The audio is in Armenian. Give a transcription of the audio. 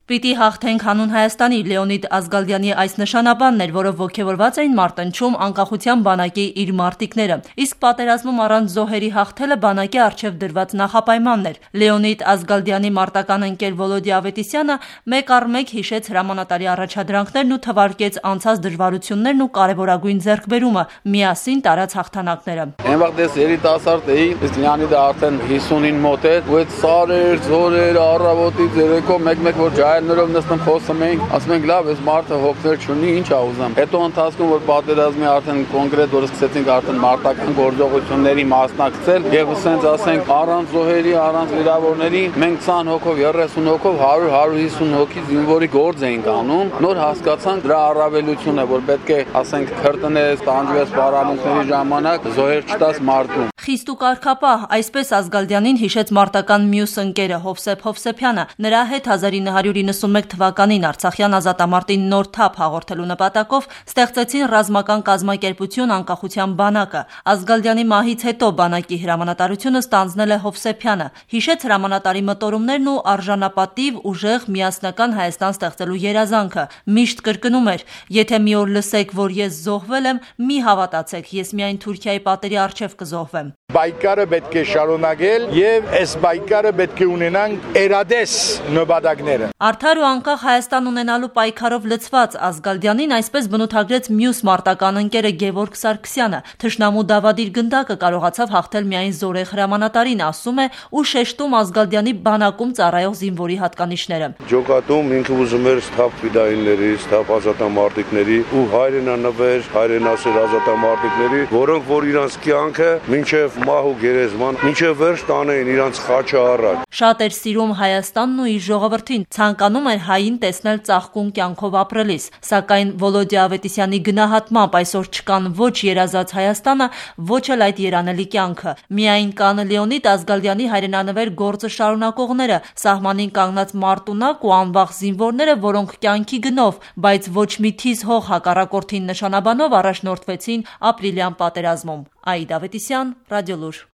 Պիտի հաղթենք հանուն Հայաստանի Լեոնիդ Ազգալյանի այս նշանաբանն էր, որով ոգևորված էին մարտնչում անկախության բանակի իր մարտիկները, իսկ պատերազմում առանց զոհերի հաղթելը բանակի առջև դրված նախապայմանն էր։ Լեոնիդ Ազգալյանի մարտական ընկեր Վոլոդիա Ավետիսյանը մեկ առ մեկ հիշեց հրամանատարի առաջադրանքներն ու թվարկեց անցած դժվարություններն ու կարևորագույն ձեռքբերումը՝ միասին տարած հաղթանակները։ Այնվաղ դες երիտասարդ էի, իսկ Լեոնիդը արդեն 50-ին մոտ էր, ու այդ սարեր, ձորեր, առավոտից երեկո մեկ-մեկ որ ջահելներով նստում խոսում էինք, ասում ենք լավ, այս մարդը հոգներ չունի, ինչ ա ուզում։ Հետո ընթացքում որ պատերազմի արդեն կոնկրետ որ սկսեցինք արդեն մարտական գործողությունների մասնակցել, եւ ասենք ասենք առանց զոհերի, առանց վիրավորների, մենք 20 հոգով, 30 հոգով, 100-150 հոգի զինվորի գործ էինք անում, նոր հասկացանք դրա առավելությունը, որ պետք է ասենք քրտնես, տանջվես պարամունքների ժամանակ զոհեր չտաս մարտում։ Խիստ ու կարգապահ, այսպես Ազգալյանին հիշեց մարտական մյուս ընկերը Հովսեփ Հովսեփյանը։ Նրա հետ 1991 թվականին Արցախյան ազատամարտին նոր թափ հաղորդելու նպատակով ստեղծեցին ռազմական կազմակերպություն Անկախության բանակը։ Ազգալյանի մահից հետո բանակի հրամանատարությունը ստանձնել է Հովսեփյանը։ Հիշեց հրամանատարի մտորումներն ու արժանապատիվ, ուժեղ, միասնական Հայաստան ստեղծելու երազանքը։ Միշտ կրկնում էր. եթե մի օր լսեք, որ ես զոհվել եմ, մի հավատացեք, ես միայն Թուրքիայի պատերի առջև կզոհվեմ։ Բայկարը պետք է շարունակել եւ այս բայկարը պետք է ունենանք երադես նպատակները։ Արդար ու անկախ Հայաստան ունենալու պայքարով լցված Ազգալյանին այսպես բնութագրեց մյուս մարտական ընկերը Գևորգ Սարգսյանը։ Թշնամու դավադիր գնդակը կարողացավ հաղթել միայն զորեղ հրամանատարին, ասում է ու շեշտում Ազգալյանի բանակում ծառայող զինվորի հատկանիշները։ Ջոկատում ինքը ուզում էր սթափ ֆիդայինների, սթափ ազատամարտիկների ու հայրենանվեր, հայրենասեր ազատամարտիկների, որոնք որ իրանց կյանքը մինչև մահ ու գերեզման մինչև վերջ տանեին իրանց խաչը առաջ։ Շատ էր սիրում Հայաստանն ու իր ժողովրդին, ցանկանում էր հային տեսնել ծաղկուն կյանքով ապրելիս, սակայն Վոլոդիա Ավետիսյանի գնահատմամբ այսօր չկան ոչ երազած Հայաստանը, ոչ էլ այդ երանելի կյանքը։ Միայն կան Լեոնիդ Ազգալյանի հայրենանվեր գործը շարունակողները, սահմանին կանգնած մարտունակ ու անվախ զինվորները, որոնք կյանքի գնով, բայց ոչ մի թիզ հող հակառակորդին նշանաբանով առաջնորդվեցին ապրիլյան պատերազմում։ Աիդա Ավետիսյան, Ռադիոլուր։